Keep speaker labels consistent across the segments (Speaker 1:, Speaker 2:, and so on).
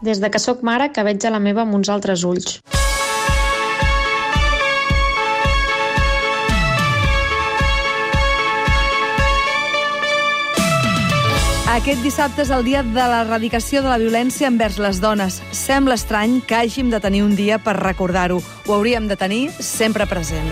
Speaker 1: Des de que sóc mare que veig a la meva amb uns altres ulls.
Speaker 2: Aquest dissabte és el dia de l'erradicació de la violència envers les dones. Sembla estrany que hàgim de tenir un dia per recordar-ho. Ho hauríem de tenir sempre present.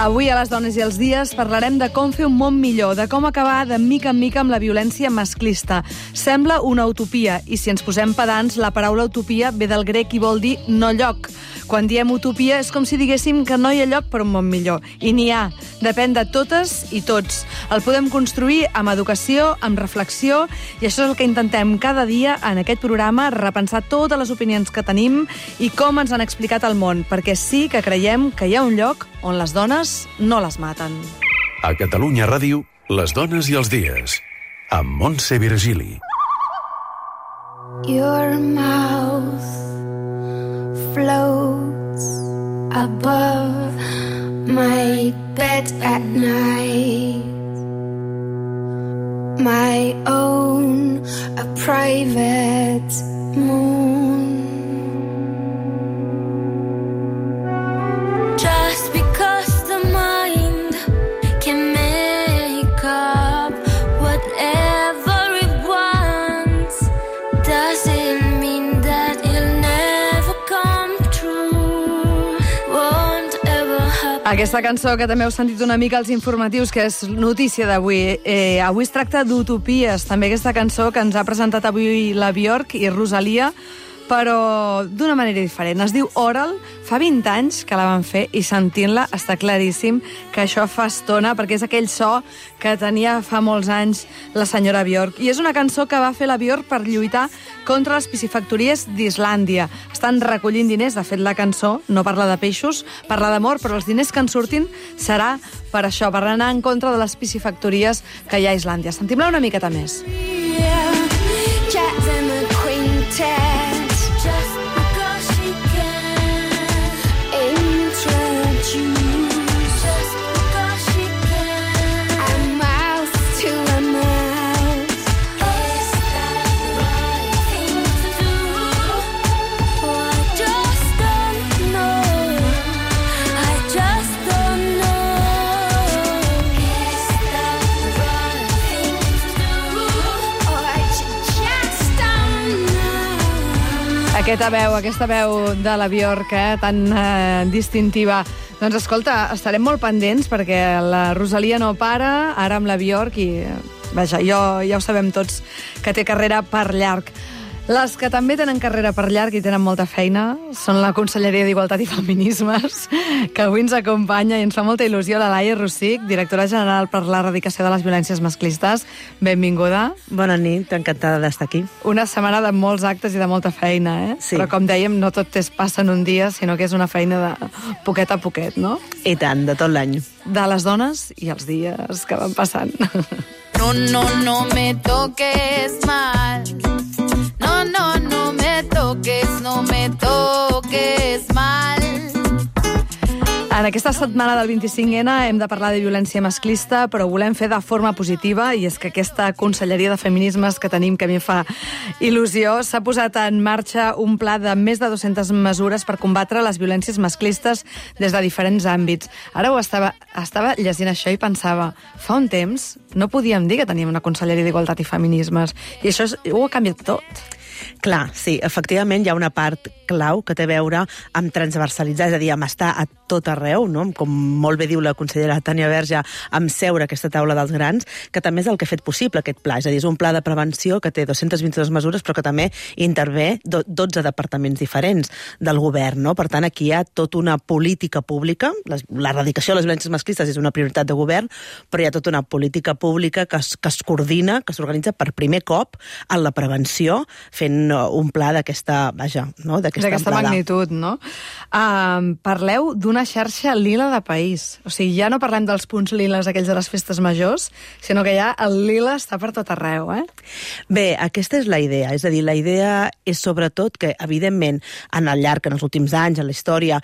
Speaker 2: Avui a Les Dones i els Dies parlarem de com fer un món millor, de com acabar de mica en mica amb la violència masclista. Sembla una utopia, i si ens posem pedants, la paraula utopia ve del grec i vol dir no lloc. Quan diem utopia és com si diguéssim que no hi ha lloc per un món millor. I n'hi ha. Depèn de totes i tots. El podem construir amb educació, amb reflexió, i això és el que intentem cada dia en aquest programa, repensar totes les opinions que tenim i com ens han explicat el món, perquè sí que creiem que hi ha un lloc on les dones no les maten.
Speaker 3: A Catalunya Ràdio, Les Dones i els Dies, amb Montse Virgili.
Speaker 4: Your mouth floats above my bed at night, my own, a private moon. Just because the mind can make up whatever it wants doesn't mean that it'll never come true, won't ever happen.
Speaker 2: Aquesta cançó que també heu sentit una mica als informatius, que és notícia d'avui. Avui es tracta d'utopies, també aquesta cançó que ens ha presentat avui la Björk i Rosalia, però d'una manera diferent. Es diu Oral, fa 20 anys que la van fer i sentint-la està claríssim que això fa estona, perquè és aquell so que tenia fa molts anys la senyora Björk. I és una cançó que va fer la Björk per lluitar contra les piscifactories d'Islàndia. Estan recollint diners, de fet la cançó no parla de peixos, parla d'amor, però els diners que en surtin serà per això, per anar en contra de les piscifactories que hi ha a Islàndia. Sentim-la una miqueta més.
Speaker 4: Just because she can introduce, just because she can, a mouth to a mouth. Is that the right thing to do? Oh, I just don't know. I just don't know. Is that the right thing to do? Oh, I just don't know.
Speaker 2: Aquesta veu de la Björk, tan distintiva. Doncs escolta, estarem molt pendents perquè la Rosalia no para, ara amb la Björk, i vaja, ja ho sabem tots que té carrera per llarg. Les que també tenen carrera per llarg i tenen molta feina són la Conselleria d'Igualtat i Feminismes, que avui ens acompanya i ens fa molta il·lusió la Laia Rosic, directora general per l'erradicació de les violències masclistes. Benvinguda.
Speaker 5: Bona nit, encantada d'estar aquí.
Speaker 2: Una setmana de molts actes i de molta feina,
Speaker 5: Sí.
Speaker 2: Però com dèiem, no tot passa en un dia, sinó que és una feina de poquet a poquet, no?
Speaker 5: I tant, de tot l'any.
Speaker 2: De les dones i els dies que van passant.
Speaker 6: No me toques mal. No me toques mal.
Speaker 2: En aquesta setmana del 25N hem de parlar de violència masclista, però ho volem fer de forma positiva, i és que aquesta Conselleria de Feminismes que tenim, que a mi fa il·lusió, s'ha posat en marxa un pla de més de 200 mesures per combatre les violències masclistes des de diferents àmbits. Ara estava llegint això i pensava, fa un temps no podíem dir que teníem una Conselleria d'Igualtat i Feminismes, i això ho ha canviat tot.
Speaker 5: Clar, sí, efectivament hi ha una part clau que té a veure amb transversalitzar, és a dir, amb estar a tot arreu, no? Com molt bé diu la consellera Tània Verge, amb seure a aquesta taula dels grans, que també és el que ha fet possible aquest pla. És a dir, és un pla de prevenció que té 222 mesures, però que també intervé 12 departaments diferents del govern, no? Per tant, aquí hi ha tota una política pública, l'erradicació de les violències masclistes és una prioritat de govern, però hi ha tota una política pública que es coordina, que s'organitza per primer cop en la prevenció, fent fent un pla d'aquesta amplada.
Speaker 2: Magnitud, no? Parleu d'una xarxa lila de país. O sigui, ja no parlem dels punts liles aquells de les festes majors, sinó que ja el lila està per tot arreu,
Speaker 5: Bé, aquesta és la idea. És a dir, la idea és sobretot que, evidentment, en els últims anys, en la història,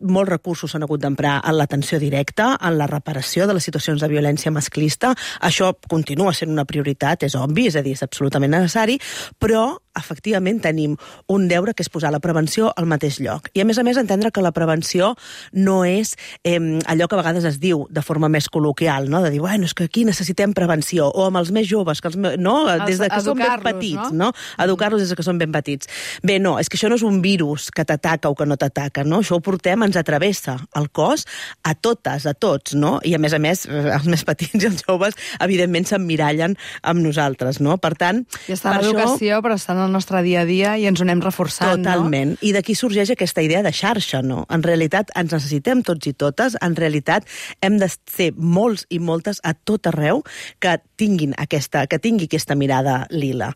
Speaker 5: molts recursos s'han hagut d'emprar en l'atenció directa, en la reparació de les situacions de violència masclista. Això continua sent una prioritat, és obvi, és a dir, és absolutament necessari, però efectivament tenim un deure que és posar la prevenció al mateix lloc. I a més entendre que la prevenció no és allò que a vegades es diu de forma més col·loquial, no? De dir, bueno, és que aquí necessitem prevenció, o amb els més joves, que des de que són ben petits, no? Educar-los des de que són ben petits. Bé, no, és que això no és un virus que t'ataca o que no t'ataca, no? Això ho portem, ens atravessa el cos a totes, a tots, no? I a més, els més petits i els joves, evidentment, s'emmirallen amb nosaltres, no? Per tant...
Speaker 2: I està en l'educació, però està en el nostre dia a dia i ens ho anem reforçant,
Speaker 5: totalment. I d'aquí sorgeix aquesta idea de xarxa, no? En realitat ens necessitem tots i totes, en realitat hem de ser molts i moltes a tot arreu que tingui aquesta mirada lila.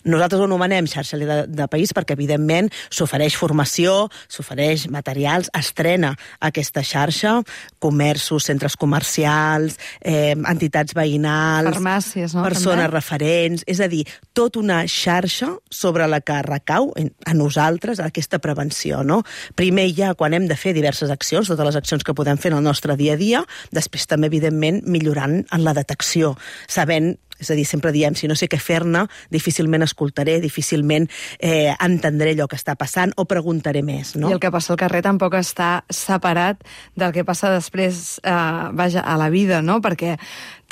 Speaker 5: Nosaltres ho anomenem xarxa lila de país perquè, evidentment, s'ofereix formació, s'ofereix materials, estrena aquesta xarxa, comerços, centres comercials, entitats veïnals,
Speaker 2: farmàcies, no?
Speaker 5: Persones referents, és a dir, tota una xarxa sobre la que recau a nosaltres aquesta prevenció, no? Primer ja quan hem de fer diverses accions, totes les accions que podem fer en el nostre dia a dia, després també, evidentment, millorant en la detecció, sabent, és a dir, sempre diem, si no sé què fer-ne, difícilment escoltaré, difícilment entendré allò que està passant o preguntaré més, no?
Speaker 2: I el que passa al carrer tampoc està separat del que passa després, a la vida, no? Perquè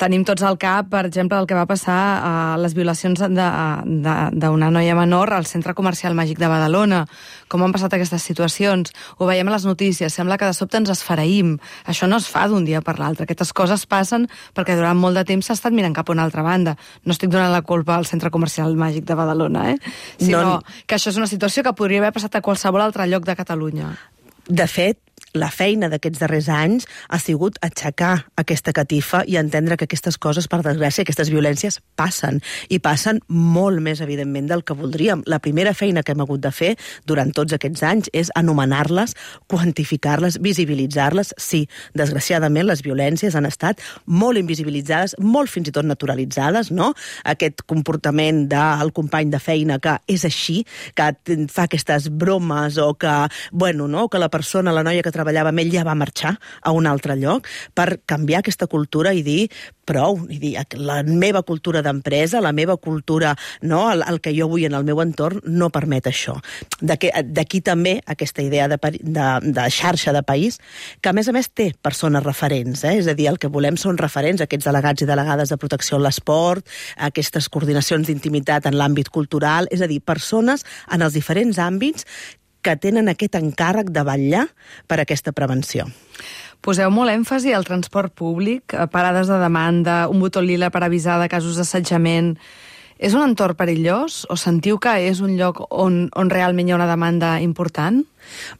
Speaker 2: tenim tots al cap, per exemple, el que va passar a les violacions d'una noia menor al centre comercial Màgic de Badalona. Com han passat aquestes situacions? Ho veiem a les notícies, sembla que de sobte ens esfereïm. Això no es fa d'un dia per l'altre. Aquestes coses passen perquè durant molt de temps s'ha estat mirant cap a una altra banda. No estic donant la culpa al centre comercial Màgic de Badalona, sinó que això és una situació que podria haver passat a qualsevol altre lloc de Catalunya.
Speaker 5: De fet, la feina d'aquests darrers anys ha sigut aixecar aquesta catifa i entendre que aquestes coses, per desgràcia, aquestes violències passen, i passen molt més, evidentment, del que voldríem. La primera feina que hem hagut de fer durant tots aquests anys és anomenar-les, quantificar-les, visibilitzar-les. Sí, desgraciadament, les violències han estat molt invisibilitzades, molt fins i tot naturalitzades, no? Aquest comportament del company de feina que és així, que fa aquestes bromes o que, bueno, no? Que la persona, la noia que treballava amb ell ja va marxar a un altre lloc, per canviar aquesta cultura i dir prou, i dir la meva cultura d'empresa, la meva cultura, no, el que jo vull en el meu entorn no permet això. D'aquí també aquesta idea de xarxa de país, que a més té persones referents, és a dir, el que volem són referents, aquests delegats i delegades de protecció en l'esport, aquestes coordinacions d'intimitat en l'àmbit cultural, és a dir, persones en els diferents àmbits que tenen aquest encàrrec de vetllar per aquesta prevenció.
Speaker 2: Poseu molt èmfasi al transport públic, parades de demanda, un botó lila per avisar de casos d'assetjament. És un entorn perillós o sentiu que és un lloc on realment hi ha una demanda important?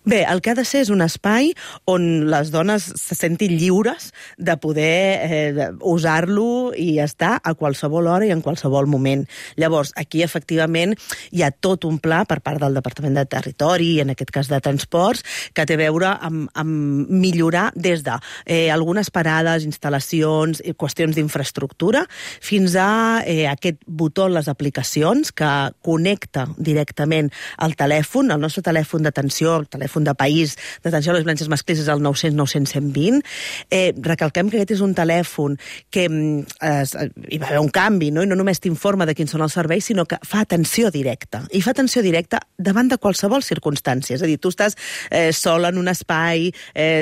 Speaker 5: Bé, el que ha de ser és un espai on les dones se sentin lliures de poder usar-lo i estar a qualsevol hora i en qualsevol moment. Llavors, aquí, efectivament, hi ha tot un pla per part del Departament de Territori, i en aquest cas de Transports, que té a veure amb millorar des de algunes parades, instal·lacions, qüestions d'infraestructura, fins a aquest botó en les aplicacions que connecta directament el telèfon, el nostre telèfon d'atenció, el telèfon de país d'atenció a les violències masclistes, el 900 900 120. Recalquem que aquest és un telèfon que hi va haver un canvi, no? I no només t'informa de quins són els serveis, sinó que fa atenció directa. I fa atenció directa davant de qualsevol circumstància. És a dir, tu estàs sol en un espai,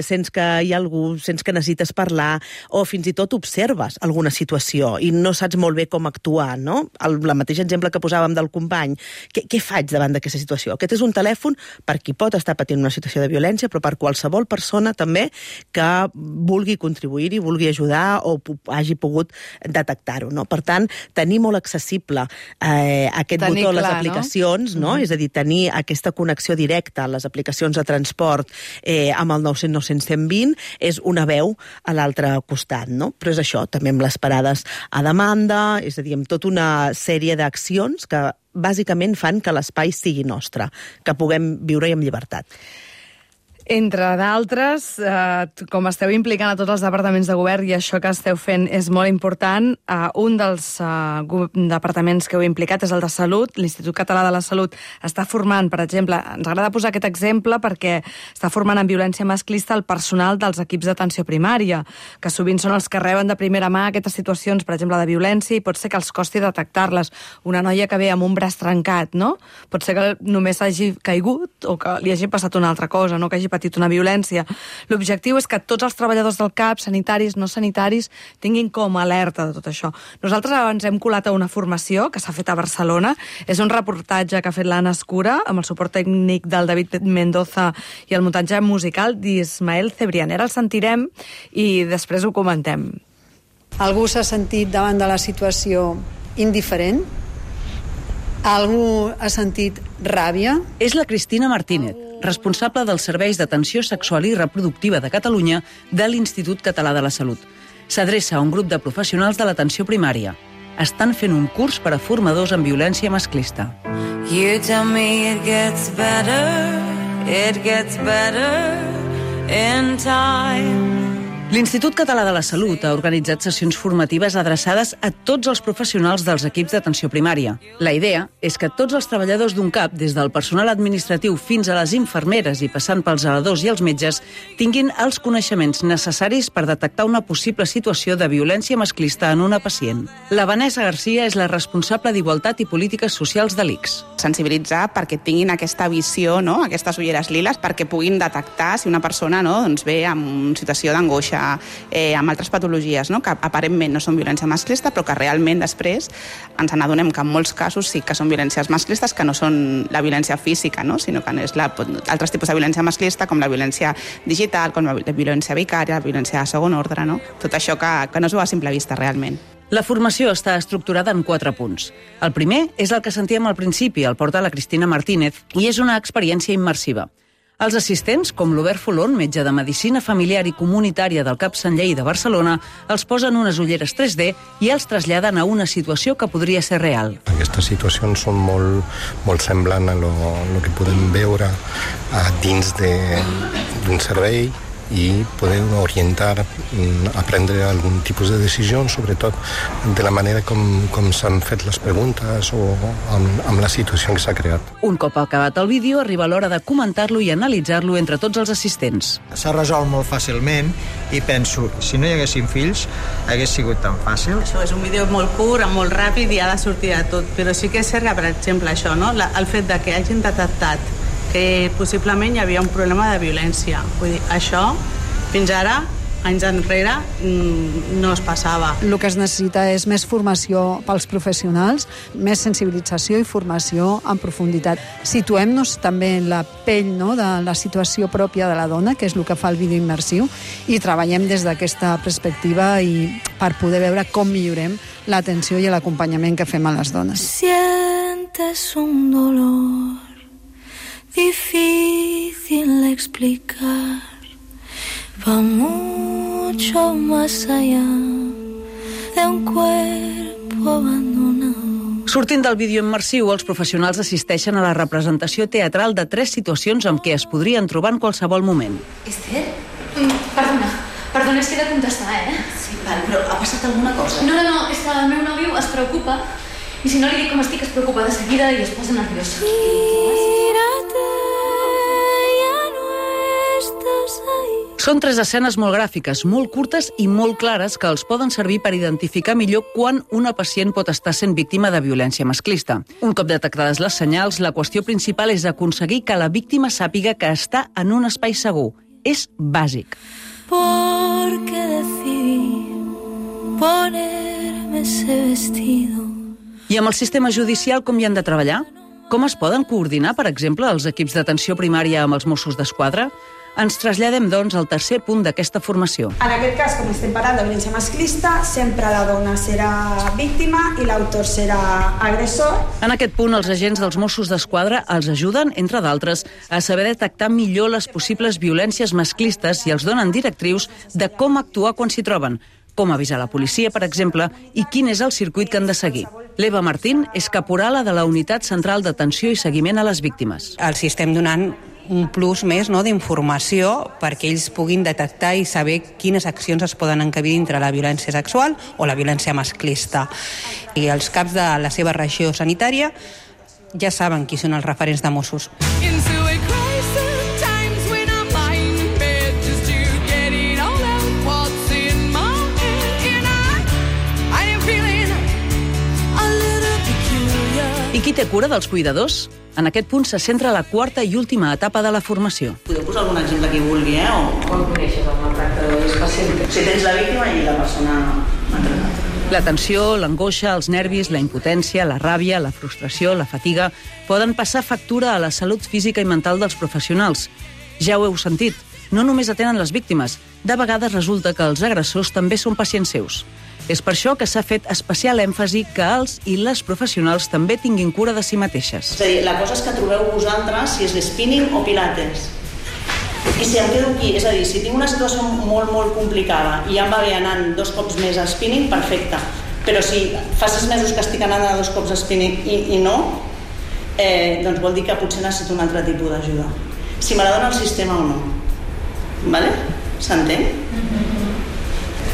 Speaker 5: sents que hi ha algú, sents que necessites parlar, o fins i tot observes alguna situació i no saps molt bé com actuar, no? El mateix exemple que posàvem del company. Què faig davant d'aquesta situació? Aquest és un telèfon per qui pot estar patint una situació de violència, però per qualsevol persona també que vulgui contribuir-hi, vulgui ajudar o hagi pogut detectar-ho, no? Per tant, tenir molt accessible aquest botó a les aplicacions, no? És a dir, tenir aquesta connexió directa a les aplicacions de transport amb el 900 900 120 és una veu a l'altre costat, no? Però és això, també amb les parades a demanda, és a dir, amb tota una sèrie d'accions que bàsicament fan que l'espai sigui nostre, que puguem viure-hi amb llibertat.
Speaker 2: Entre d'altres, com esteu implicant a tots els departaments de govern i això que esteu fent és molt important, un dels departaments que heu implicat és el de Salut. L'Institut Català de la Salut està formant, per exemple, ens agrada posar aquest exemple perquè està formant en violència masclista el personal dels equips d'atenció primària, que sovint són els que reben de primera mà aquestes situacions, per exemple, de violència, i pot ser que els costi detectar-les. Una noia que ve amb un braç trencat, no? Pot ser que només hagi caigut o que li hagi passat una altra cosa, no? Que hagi patit una violència. L'objectiu és que tots els treballadors del CAP, sanitaris, no sanitaris, tinguin com alerta de tot això. Nosaltres ens hem colat a una formació que s'ha fet a Barcelona. És un reportatge que ha fet l'Anna Escura amb el suport tècnic del David Mendoza i el muntatge musical d'Ismael Cebrián. Ara el sentirem i després ho comentem.
Speaker 7: Algú s'ha sentit davant de la situació indiferent? Algú ha sentit ràbia?
Speaker 8: És la Cristina Martínez, responsable dels serveis d'atenció sexual i reproductiva de Catalunya de l'Institut Català de la Salut. S'adreça a un grup de professionals de l'atenció primària. Estan fent un curs per a formadors en violència masclista.
Speaker 9: You tell me it gets better in time.
Speaker 8: L'Institut Català de la Salut ha organitzat sessions formatives adreçades a tots els professionals dels equips d'atenció primària. La idea és que tots els treballadors d'un CAP, des del personal administratiu fins a les infermeres i passant pels zeladors i els metges, tinguin els coneixements necessaris per detectar una possible situació de violència masclista en una pacient. La Vanessa Garcia és la responsable d'Igualtat i Polítiques Socials de l'ICS.
Speaker 10: Sensibilitzar perquè tinguin aquesta visió, no? Aquestes ulleres liles, perquè puguin detectar si una persona, no? Doncs ve en una situació d'angoixa, amb altres patologies, no? Que aparentment no són violència masclista, però que realment després ens n'adonem que en molts casos sí que són violències masclistes, que no són la violència física, no? Sinó que és altres tipus de violència masclista, com la violència digital, com la violència vicària, la violència de segon ordre, no? Tot això que no es veu a simple vista realment.
Speaker 8: La formació està estructurada en 4 punts. El primer és el que sentíem al principi, el porta la Cristina Martínez, i és una experiència immersiva. Els assistents, com l'Obert Folón, metge de Medicina Familiar i Comunitària del CAP Sant Lleí de Barcelona, els posen unes ulleres 3D i els traslladen a una situació que podria ser real.
Speaker 11: Aquestes situacions són molt semblants a lo que podem veure dins d'un servei i poder orientar a prendre algun tipus de decisió, sobretot de la manera com s'han fet les preguntes o amb la situació que s'ha creat.
Speaker 8: Un cop acabat el vídeo, arriba l'hora de comentar-lo i analitzar-lo entre tots els assistents.
Speaker 12: S'ha resolt molt fàcilment i penso, si no hi haguessin fills, hagués sigut tan fàcil.
Speaker 13: Això és un vídeo molt curt, molt ràpid i ha de sortir de tot, però sí que és cert que, per exemple, això, no? El fet de que hagin detectat que possiblement hi havia un problema de violència. Vull dir, això, fins ara, anys enrere, no es passava.
Speaker 7: El que es necessita és més formació pels professionals, més sensibilització i formació en profunditat. Situem-nos també en la pell, no?, de la situació pròpia de la dona, que és el que fa el vídeo immersiu, i treballem des d'aquesta perspectiva i per poder veure com millorem l'atenció i l'acompanyament que fem a les dones.
Speaker 4: Sientes un dolor difícil de explicar, va mucho más allá de un cuerpo abandonado.
Speaker 8: Sortint del vídeo immersiu, els professionals assisteixen a la representació teatral de 3 situacions amb què es podrien trobar en qualsevol moment.
Speaker 14: Esther? Perdona, és que he de contestar,
Speaker 15: Sí, val, però ha passat alguna cosa?
Speaker 14: No, és que el meu nòvio es preocupa i si no li dic com estic es preocupa de seguida i es posa nerviós.
Speaker 8: Són 3 escenes molt gràfiques, molt curtes i molt clares que els poden servir per identificar millor quan una pacient pot estar sent víctima de violència masclista. Un cop detectades les senyals, la qüestió principal és aconseguir que la víctima sàpiga que està en un espai segur. És bàsic.
Speaker 4: Porque decidí ponerme ese vestido.
Speaker 8: I amb el sistema judicial com hi han de treballar? Com es poden coordinar, per exemple, els equips d'atenció primària amb els Mossos d'Esquadra? Ens traslladem, doncs, al tercer punt d'aquesta formació.
Speaker 16: En aquest cas, com estem parlant de violència masclista, sempre la dona serà víctima i l'autor serà agressor.
Speaker 8: En aquest punt, els agents dels Mossos d'Esquadra els ajuden, entre d'altres, a saber detectar millor les possibles violències masclistes i els donen directrius de com actuar quan s'hi troben, com avisar la policia, per exemple, i quin és el circuit que han de seguir. L'Eva Martín és caporala de la Unitat Central d'Atenció i Seguiment a les Víctimes.
Speaker 17: Els estem donant un plus més d'informació perquè ells puguin detectar i saber quines accions es poden encabir dintre la violència sexual o la violència masclista. I els caps de la seva regió sanitària ja saben qui són els referents de Mossos.
Speaker 8: I qui té cura dels cuidadors? En aquest punt se centra la quarta i última etapa de la formació.
Speaker 15: Podeu posar algun exemple qui vulgui,
Speaker 18: Com coneixes el maltractador? És pacient?
Speaker 15: Si tens la víctima i la persona maltratada.
Speaker 8: La tensió, l'angoixa, els nervis, la impotència, la ràbia, la frustració, la fatiga poden passar factura a la salut física i mental dels professionals. Ja ho heu sentit, no només atenen les víctimes, de vegades resulta que els agressors també són pacients seus. És per això que s'ha fet especial èmfasi que els i les professionals també tinguin cura de si mateixes.
Speaker 15: És a dir, la cosa és que trobeu vosaltres si és spinning o pilates. I si em quedo aquí, és a dir, si tinc una situació molt, molt complicada i ja em va bé anant 2 cops més a spinning, perfecte. Però si fa 6 mesos que estic anant a 2 cops a spinning i no, doncs vol dir que potser necessito un altre tipus d'ajuda. Si me la dona el sistema o no. Vale? S'entén?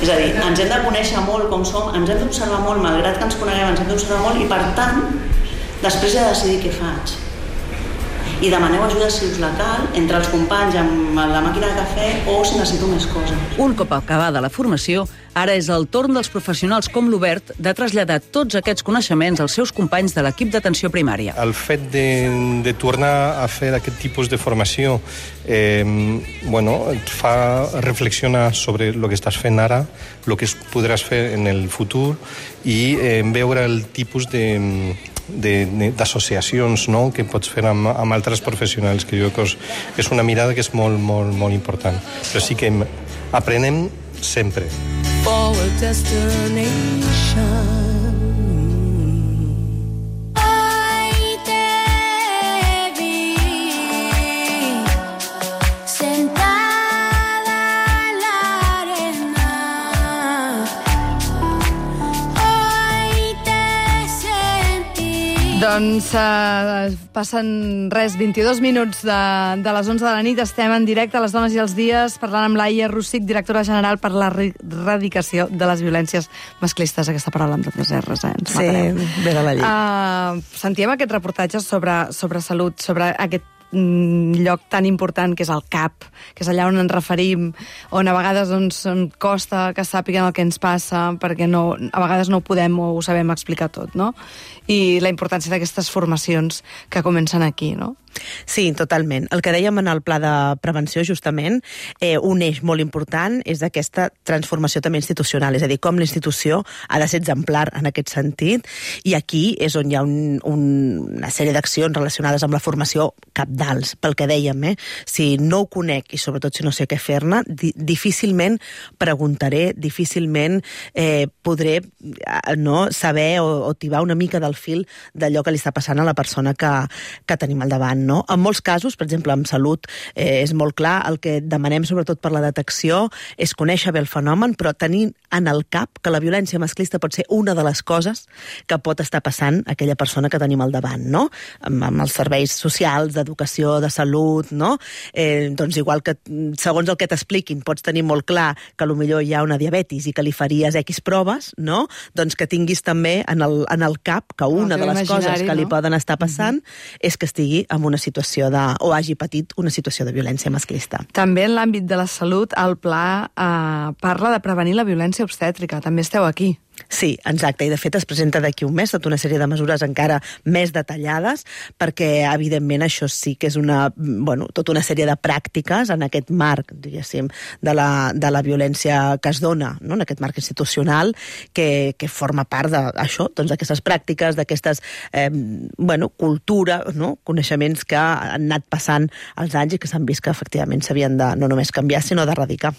Speaker 15: És a dir, ens hem de conèixer molt com som, ens hem d'observar molt, malgrat que ens coneguem, ens hem d'observar molt i, per tant, després he de decidir què faig. I demaneu ajuda si us la cal, entre els companys amb la màquina de cafè o si necessito més coses.
Speaker 8: Un cop acabada la formació, ara és el torn dels professionals com l'Obert de traslladar tots aquests coneixements als seus companys de l'equip d'atenció primària.
Speaker 11: El fet de tornar a fer aquest tipus de formació et fa reflexionar sobre el que estàs fent ara, el que podràs fer en el futur i veure el tipus d'associacions que pots fer amb altres professionals, que jo crec que és una mirada que és molt, molt, molt important. Però sí que aprenem sempre.
Speaker 4: For a destination. Hoy te vi sentada en la arena. Hoy te sentí.
Speaker 2: Doncs passen 22 minuts de les 11 de la nit. Estem en directe a Les Dones i els Dies parlant amb Laia Rosic, directora general per l'erradicació de les violències masclistes. Aquesta paraula amb tantes R's, ens matareu.
Speaker 5: Sí, ve de la llei.
Speaker 2: Sentíem aquest reportatge sobre salut, sobre aquest lloc tan important que és el CAP, que és allà on ens referim, on a vegades costa que sàpiguen el que ens passa, perquè a vegades no ho podem o ho sabem explicar tot, no? I la importància d'aquestes formacions que comencen aquí, no?
Speaker 5: Sí, totalment. El que dèiem en el pla de prevenció, justament, un eix molt important és aquesta transformació també institucional, és a dir, com l'institució ha de ser exemplar en aquest sentit, i aquí és on hi ha una sèrie d'accions relacionades amb la formació cabdals, pel que dèiem, si no ho conec i sobretot si no sé què fer-ne, difícilment preguntaré, difícilment podré saber o tibar una mica del fil d'allò que li està passant a la persona que tenim al davant. No? En molts casos, per exemple, en salut, és molt clar, el que demanem sobretot per la detecció és conèixer bé el fenomen, però tenir en el cap que la violència masclista pot ser una de les coses que pot estar passant a aquella persona que tenim al davant, no? Amb els serveis socials, d'educació, de salut, no? Doncs igual que, segons el que t'expliquin, pots tenir molt clar que potser hi ha una diabetis i que li faries X proves, no? Doncs que tinguis també en el cap que una de les coses que li poden estar passant és que estigui en una situació o hagi patit una situació de violència masclista.
Speaker 2: També en l'àmbit de la salut, el pla parla de prevenir la violència obstètrica. També esteu aquí.
Speaker 5: Sí, exacte, i de fet es presenta d'aquí un mes tota una sèrie de mesures encara més detallades, perquè evidentment això sí que és tota una sèrie de pràctiques en aquest marc, diguéssim, de la violència que es dona, no? En aquest marc institucional que forma part d'això, doncs d'aquestes pràctiques, d'aquestes cultura, no? Coneixements que han anat passant els anys i que s'han vist que efectivament s'havien de no només canviar, sinó d'erradicar.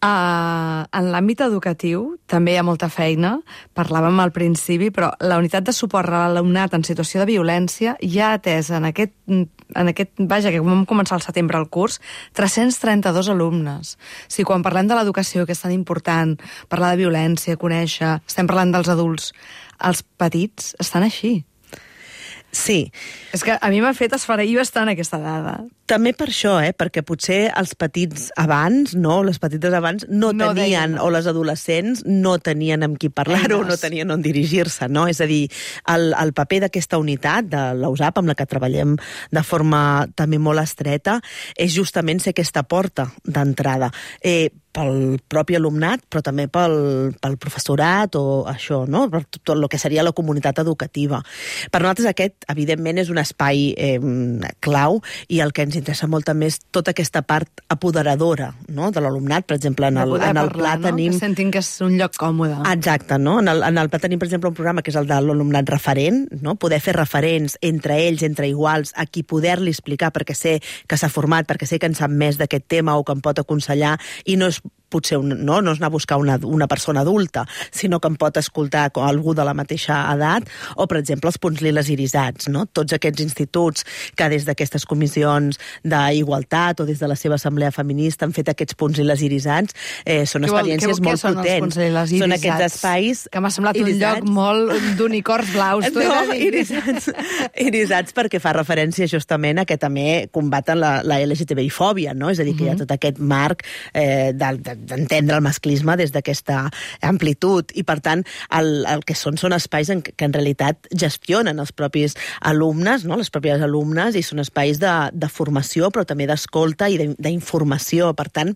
Speaker 2: En l'àmbit educatiu també hi ha molta feina, parlàvem al principi, però la unitat de suport a l'alumnat en situació de violència ja ha atès vaja, que vam començar al setembre el curs, 332 alumnes. Si quan parlem de l'educació, que és tan important, parlar de violència, conèixer, estem parlant dels adults, els petits estan així.
Speaker 5: Sí.
Speaker 2: És que a mi m'ha fet esfereir bastant aquesta dada.
Speaker 5: També per això, perquè potser els petits abans, les petites abans, no tenien, o les adolescents no tenien amb qui parlar-ho, no tenien on dirigir-se, no? És a dir, el paper d'aquesta unitat, de la USAP, amb la que treballem de forma també molt estreta, és justament ser aquesta porta d'entrada. Pel propi alumnat, però també pel professorat o això, no? Per tot el que seria la comunitat educativa. Per nosaltres aquest, evidentment, és un espai clau i el que ens interessa molt també és tota aquesta part apoderadora, no? De l'alumnat. Per exemple, en el pla tenim...
Speaker 2: Que sentin que és un lloc còmode.
Speaker 5: Exacte, no? En el pla tenim, per exemple, un programa que és el de l'alumnat referent, no? Poder fer referents entre ells, entre iguals, a qui poder-li explicar perquè sé que s'ha format, perquè sé que en sap més d'aquest tema o que em pot aconsellar, i no és potser no és anar a buscar una persona adulta, sinó que em pot escoltar algú de la mateixa edat, o, per exemple, els punts liles irisats, no? Tots aquests instituts que des d'aquestes comissions d'igualtat o des de la seva assemblea feminista han fet aquests punts liles irisats, són experiències molt potents. Són aquests espais...
Speaker 2: Que m'ha semblat un lloc molt d'unicorns blaus.
Speaker 5: No, irisats perquè fa referència justament a que també combaten la LGTBI-fòbia, no? És a dir, que hi ha tot aquest marc d'entendre el masclisme des d'aquesta amplitud, i per tant el que són espais que en realitat gestionen els propis alumnes, no? Les pròpies alumnes, i són espais de formació però també d'escolta i d'informació. Per tant,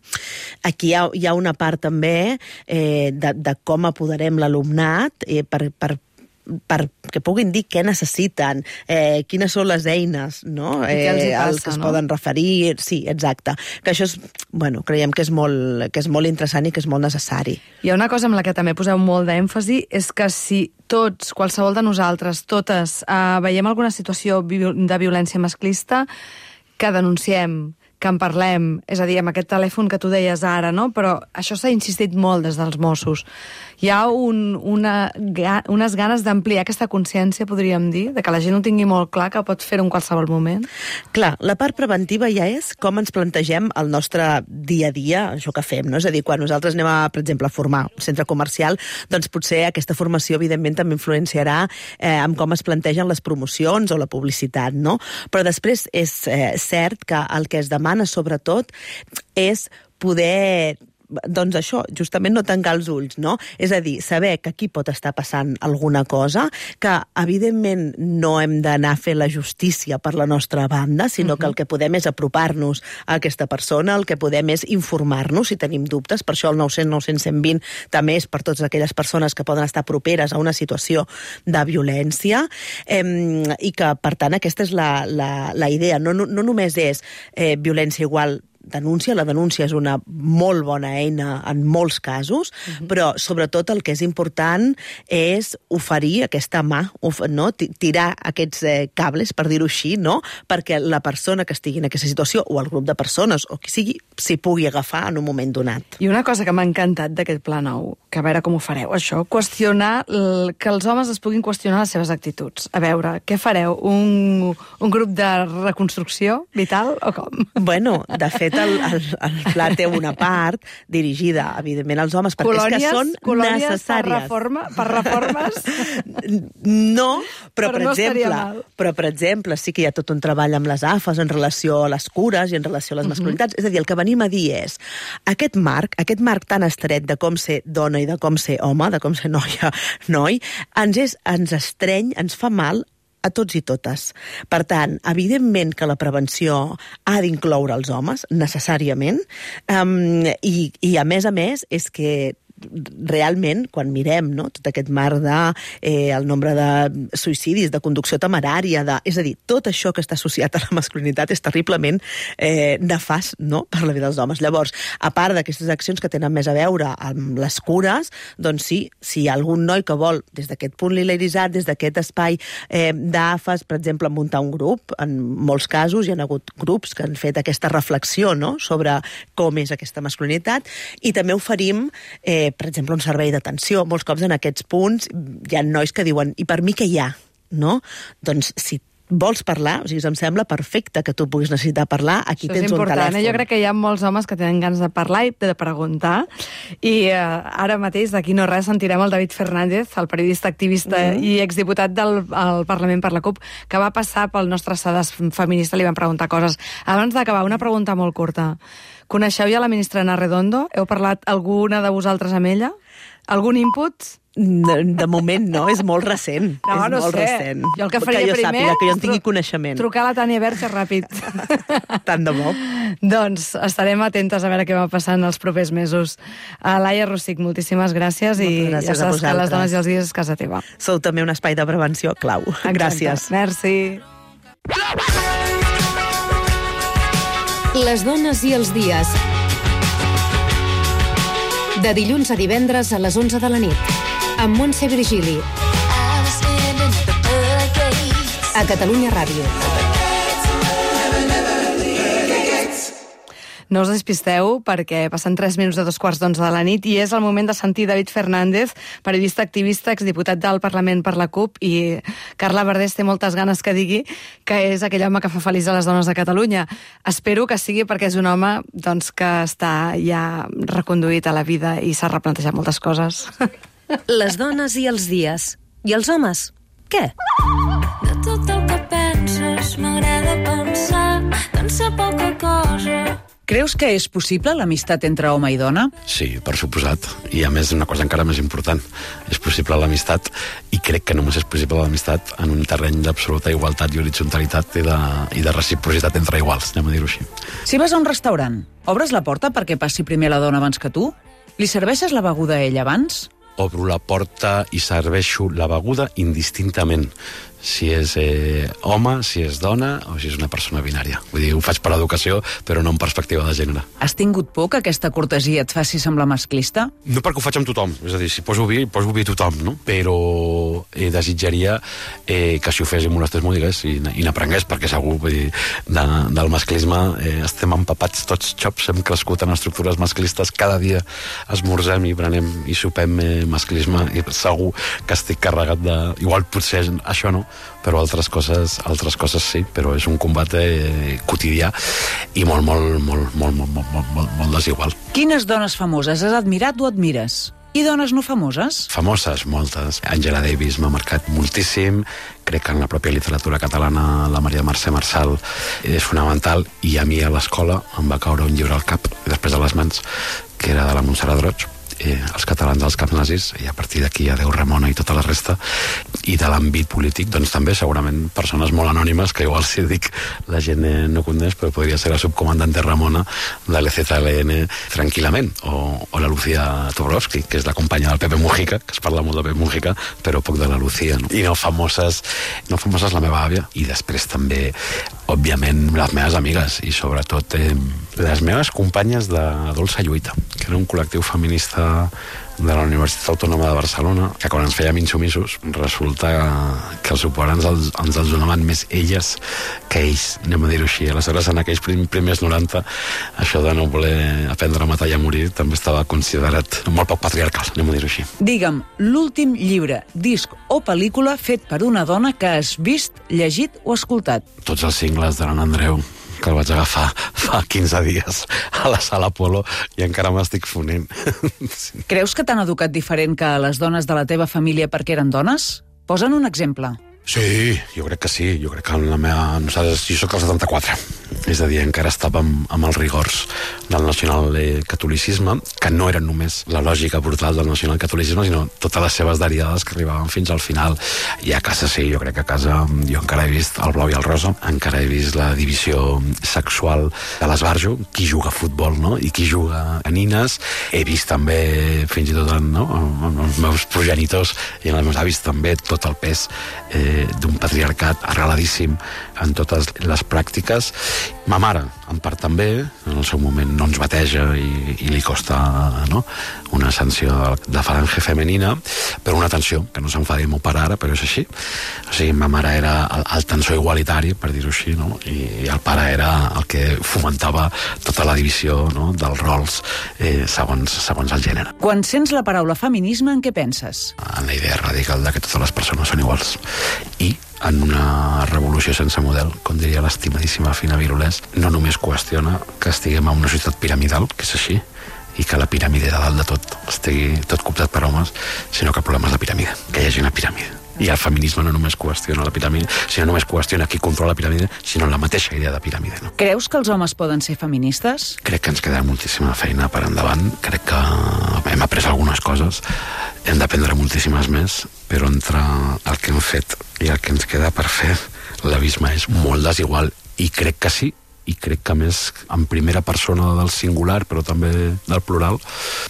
Speaker 5: aquí hi ha una part també de com apoderem l'alumnat perquè puguin dir què necessiten, quines són les eines, no? Els que es poden referir. Sí, exacte. Que això és, creiem que és molt interessant i que és molt necessari.
Speaker 2: Hi ha una cosa amb la que també poseu molt d'èmfasi, és que si tots, qualsevol de nosaltres, totes, veiem alguna situació de violència masclista, que denunciem, que en parlem, és a dir, amb aquest telèfon que tu deies ara, no? Però això s'ha insistit molt des dels Mossos. Hi ha unes ganes d'ampliar aquesta consciència, podríem dir, de que la gent ho tingui molt clar, que pot fer-ho en qualsevol moment?
Speaker 5: Clar, la part preventiva ja és com ens plantegem el nostre dia a dia, això que fem, no? És a dir, quan nosaltres anem per exemple, a formar un centre comercial, doncs potser aquesta formació, evidentment, també influenciarà en com es plantegen les promocions o la publicitat, no? Però després és cert que el que es demana sobretot és poder, doncs això, justament no tancar els ulls, no? És a dir, saber que aquí pot estar passant alguna cosa, que evidentment no hem d'anar a fer la justícia per la nostra banda, sinó que el que podem és apropar-nos a aquesta persona, el que podem és informar-nos si tenim dubtes. Per això el 900 920 també és per totes aquelles persones que poden estar properes a una situació de violència, i que, per tant, aquesta és la idea. No només és violència igual denúncia, la denúncia és una molt bona eina en molts casos, però sobretot el que és important és oferir aquesta mà, no? Tirar aquests cables, per dir-ho així, no? Perquè la persona que estigui en aquesta situació, o el grup de persones, o qui sigui, s'hi pugui agafar en un moment donat.
Speaker 2: I una cosa que m'ha encantat d'aquest pla nou, que a veure com ho fareu, això, qüestionar, que els homes es puguin qüestionar les seves actituds. A veure, què fareu? Un grup de reconstrucció vital o com?
Speaker 5: Bueno, de fet, el pla té una part dirigida, evidentment, als homes, perquè és que són necessàries.
Speaker 2: Per reformes?
Speaker 5: No, però per exemple, sí que hi ha tot un treball amb les AFAs en relació a les cures i en relació a les masculinitats. És a dir, el que venim a dir és aquest marc tan estret de com ser dona i de com ser home, de com ser noi, ens estreny, ens fa mal a tots i totes. Per tant, evidentment que la prevenció ha d'incloure els homes, necessàriament, i a més, és que realment, quan mirem, no, tot aquest mar el nombre de suïcidis, de conducció temerària, és a dir, tot això que està associat a la masculinitat és terriblement nefast, no?, per la vida dels homes. Llavors, a part d'aquestes accions que tenen més a veure amb les cures, doncs sí, si hi ha algun noi que vol, des d'aquest punt lileritzat, des d'aquest espai d'AFAS, per exemple, muntar un grup, en molts casos hi ha hagut grups que han fet aquesta reflexió, no?, sobre com és aquesta masculinitat, i també oferim, per exemple, un servei d'atenció. Molts cops en aquests punts hi ha nois que diuen, i per mi què hi ha? No? Doncs si vols parlar, o sigui, em sembla perfecte que tu puguis necessitar parlar, aquí tens un telèfon.
Speaker 2: Jo crec que hi ha molts homes que tenen ganes de parlar i de preguntar, i ara mateix, d'aquí no res, sentirem el David Fernández, el periodista activista i exdiputat del Parlament per la CUP, que va passar pel nostre sedàs feminista, li van preguntar coses. Abans d'acabar, una pregunta molt curta. Coneixeu ja la ministra Ana Redondo? Heu parlat alguna de vosaltres amb ella? Algun input?
Speaker 5: De moment no, és molt recent.
Speaker 2: No, no sé.
Speaker 5: Recent.
Speaker 2: Jo el que faria
Speaker 5: jo
Speaker 2: primer
Speaker 5: sàpiga, que jo en tingui coneixement.
Speaker 2: Trucar a la Tània Verge ràpid.
Speaker 5: Tant de bo.
Speaker 2: Doncs estarem atentes a veure què va passar en els propers mesos. Laia Rosic, moltíssimes gràcies, i ja saps que les dones i els dies és casa teva.
Speaker 5: Sou també un espai de prevenció clau.
Speaker 2: Exacte.
Speaker 5: Gràcies.
Speaker 2: Merci.
Speaker 19: Les dones i els dies. De dilluns a divendres a les 11 de la nit. Amb Montse Virgili. A Catalunya Ràdio.
Speaker 2: No us despisteu, perquè passen 3 minuts de 2:15 de la nit i és el moment de sentir David Fernández, periodista activista, exdiputat del Parlament per la CUP, i Carla Verdés té moltes ganes que digui que és aquell home que fa feliç a les dones de Catalunya. Espero que sigui perquè és un home doncs, que està ja reconduït a la vida i s'ha replantejat moltes coses.
Speaker 19: Les dones i els dies. I els homes? Què?
Speaker 4: De tot el que penses m'agrada pensar que en sé poca cosa.
Speaker 8: Creus que és possible l'amistat entre home i dona?
Speaker 3: Sí, per suposat. I a més, una cosa encara més important. És possible l'amistat, i crec que només és possible l'amistat en un terreny d'absoluta igualtat i horitzontalitat i de reciprocitat entre iguals, anem a dir-ho així.
Speaker 8: Si vas a un restaurant, obres la porta perquè passi primer la dona abans que tu? Li serveixes la beguda a ell abans?
Speaker 3: Obro la porta i serveixo la beguda indistintament. Si és home, si és dona o si és una persona binària. Vull dir, ho faig per l'educació, però no en perspectiva de gènere.
Speaker 8: Has tingut por que aquesta cortesia et faci semblar masclista?
Speaker 3: No perquè ho faig amb tothom, és a dir, si poso vi a tothom, no? Però desitjaria que si ho fes i molestés m'ho digués i n'aprengués, perquè segur, vull dir, del masclisme estem empapats tots xops, hem crescut en estructures masclistes, cada dia esmorzem i prenem i sopem masclisme, i segur que estic carregat de... Igual potser això no, però altres coses sí, però és un combat quotidià i molt desigual.
Speaker 8: Quines dones famoses has admirat o admires? I dones no famoses?
Speaker 3: Famoses, moltes. Angela Davis m'ha marcat moltíssim, crec que en la pròpia literatura catalana la Maria Mercè Marçal és fonamental, i a mi a l'escola em va caure un llibre al cap, després de les mans, que era de la Montserrat Roig, els catalans dels camps nazis, i a partir d'aquí adeu Ramona i tota la resta, i de l'àmbit polític, doncs també segurament persones molt anònimes, que igual si dic la gent no coneix, però podria ser la subcomandante Ramona de l'EZLN tranquil·lament, o la Lucía Tobrowski, que és la companya del Pepe Mujica, que es parla molt de Pepe Mujica, però poc de la Lucía, no? I no famoses la meva àvia, i després també, òbviament, les meves amigues, i sobretot les meves companyes de Dolça Lluita, que era un col·lectiu feminista de la Universitat Autònoma de Barcelona, que quan ens fèiem insumisos resulta que els suport ens els donaven més elles que ells, anem a dir-ho així. Aleshores, en aquells primers 90, això de no voler aprendre a matar i a morir també estava considerat molt poc patriarcal, anem a dir-ho així.
Speaker 8: Digue'm, l'últim llibre, disc o pel·lícula fet per una dona que has vist, llegit o escoltat?
Speaker 3: Tots els cingles de l'Anna Andreu, que el vaig agafar fa 15 dies a la Sala Apolo i encara m'estic fonent.
Speaker 8: Creus que t'han educat diferent que les dones de la teva família perquè eren dones? Posa'n un exemple.
Speaker 3: Sí, jo crec que sí. Jo crec que en la meva... Nosaltres, jo soc el 74. És a dir, encara estàvem amb els rigors del nacionalcatolicisme, que no eren només la lògica brutal del nacionalcatolicisme, sinó totes les seves derivades que arribaven fins al final. I a casa sí, jo crec que a casa jo encara he vist el blau i el rosa, encara he vist la divisió sexual de l'esbarjo, qui juga a futbol, no? I qui juga a nines. He vist també, fins i tot amb els meus progenitors i amb els meus avis també, tot el pes d'un patriarcat arreladíssim en totes les pràctiques. Ma mare, en part també, en el seu moment no ens bateja i li costa una sanció de falange femenina, però una atenció, que no s'enfadi el meu pare ara, però és així. O sigui, ma mare era el tensor igualitari, per dir-ho així, no? I el pare era el que fomentava tota la divisió dels rols segons el gènere.
Speaker 8: Quan sents la paraula feminisme, en què penses?
Speaker 3: En la idea radical de que totes les persones són iguals. I en una revolució sense model, com diria l'estimadíssima Fina Virulés, no només qüestiona que estiguem en una societat piramidal, que és així, i que la piràmide de dalt de tot estigui tot cooptat per homes, sinó que el problema és la piràmide, que hi hagi una piràmide. I el feminisme no només qüestiona la piràmide, sinó només qüestiona qui controla la piràmide, sinó la mateixa idea de piràmide. No?
Speaker 8: Creus que els homes poden ser feministes?
Speaker 3: Crec que ens queda moltíssima feina per endavant. Crec que hem après algunes coses, hem d'aprendre moltíssimes més, però entre el que hem fet i el que ens queda per fer, l'abisme és molt desigual, i crec que sí, i crec que més en primera persona del singular, però també del plural,